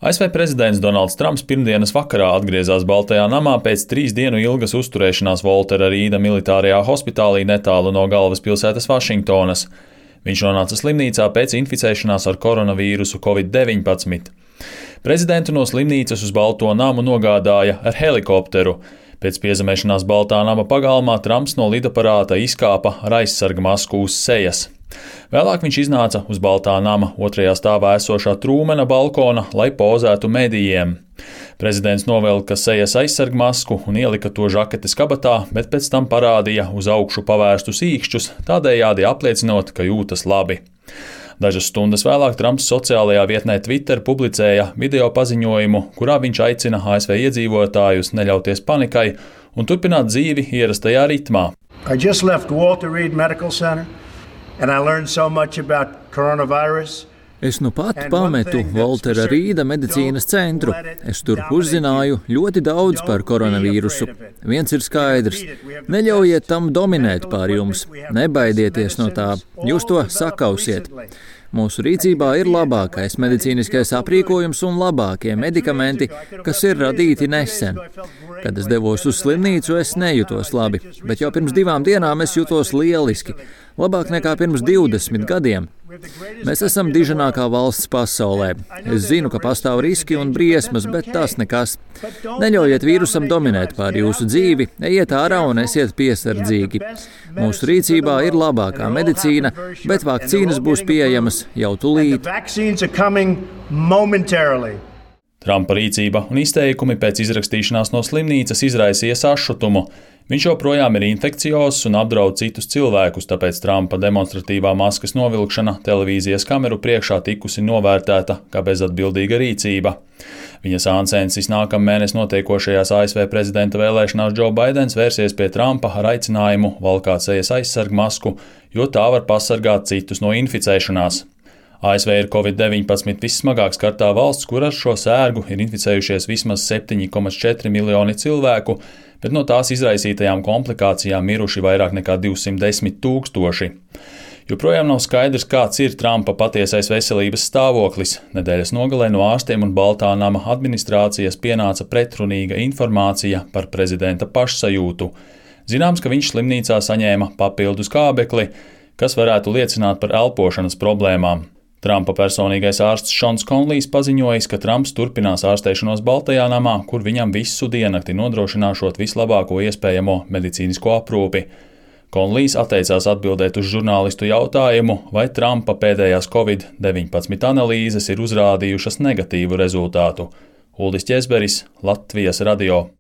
ASV prezidents Donalds Trumps pirmdienas vakarā atgriezās Baltajā namā pēc 3 dienu ilgas uzturēšanās Voltera Rīda militārajā hospitālī netālu no galvaspilsētas Vašingtonas. Viņš nonāca slimnīcā pēc inficēšanās ar koronavīrusu Covid-19. Prezidentu no slimnīcas uz Balto namu nogādāja ar helikopteru. Pēc piezemēšanās Baltā nama pagalmā Trumps no lidaparāta izkāpa ar aizsarga masku uz sejas. Vēlāk viņš iznāca uz Baltā nama 2. stāvā esošā Trūmena balkona, lai pozētu medijiem. Prezidents novelka sejas aizsarga masku un ielika to žaketes kabatā, bet pēc tam parādīja uz augšu pavērstus īkšķus, tādējādi apliecinot, ka jūtas labi. Dažas stundas vēlāk Trumps sociālajā vietnē Twitter publicēja video paziņojumu, kurā viņš aicina ASV iedzīvotājus neļauties panikai un turpināt dzīvi ierastajā ritmā. Es nu pat pametu Voltera Rīda medicīnas centru. Es tur uzzināju ļoti daudz par koronavīrusu. Viens ir skaidrs – neļaujiet tam dominēt pār jums, nebaidieties no tā, jūs to sakausiet. Mūsu rīcībā ir labākais medicīniskais aprīkojums un labākie medikamenti, kas ir radīti nesen. Kad es devos uz slimnīcu, es nejūtos labi, bet jau pirms 2 dienām es jutos lieliski, labāk nekā pirms 20 gadiem. Mēs esam diženākā valsts pasaulē. Es zinu, ka pastāv riski un briesmas, bet tas nekas. Neļaujiet vīrusam dominēt pār jūsu dzīvi, ejiet ārā un esiet piesardzīgi. Mūsu rīcībā ir labākā medicīna, bet vakcīnas būs pieejamas jau tūlīt. Trumpa rīcība un izteikumi pēc izrakstīšanās no slimnīcas izraisīja sašutumu. Viņš joprojām ir infekciozs un apdraud citus cilvēkus, tāpēc Trumpa demonstratīvā maskas novilkšana televīzijas kameru priekšā tikusi novērtēta kā bezatbildīga rīcība. Viņa sāncensis nākamnedēļ notiekošajās ASV prezidenta vēlēšanās Joe Baidens vērsies pie Trumpa ar aicinājumu valkāt sejas aizsarga masku, jo tā var pasargāt citus no inficēšanās. ASV ir Covid-19 vissmagāk skartā valsts, kur ar šo sērgu ir inficējušies vismaz 7,4 miljoni cilvēku, bet no tās izraisītajām komplikācijām miruši vairāk nekā 210 000. Joprojām nav skaidrs, kāds ir Trumpa patiesais veselības stāvoklis. Nedēļas nogalē no ārstiem un Baltā nama administrācijas pienāca pretrunīga informācija par prezidenta pašsajūtu. Zināms, ka viņš slimnīcā saņēma papildus kābekli, kas varētu liecināt par elpošanas problēmām. Trumpa personīgais ārsts Šons Konlijs paziņojis, ka Trumps turpinās ārstēšanos Baltajā namā, kur viņam visu diennakti nodrošināšot vislabāko iespējamo medicīnisko aprūpi. Konlijs atteicās atbildēt uz žurnālistu jautājumu, vai Trumpa pēdējās Covid-19 analīzes ir uzrādījušas negatīvu rezultātu. Uldis Ķezberis, Latvijas radio.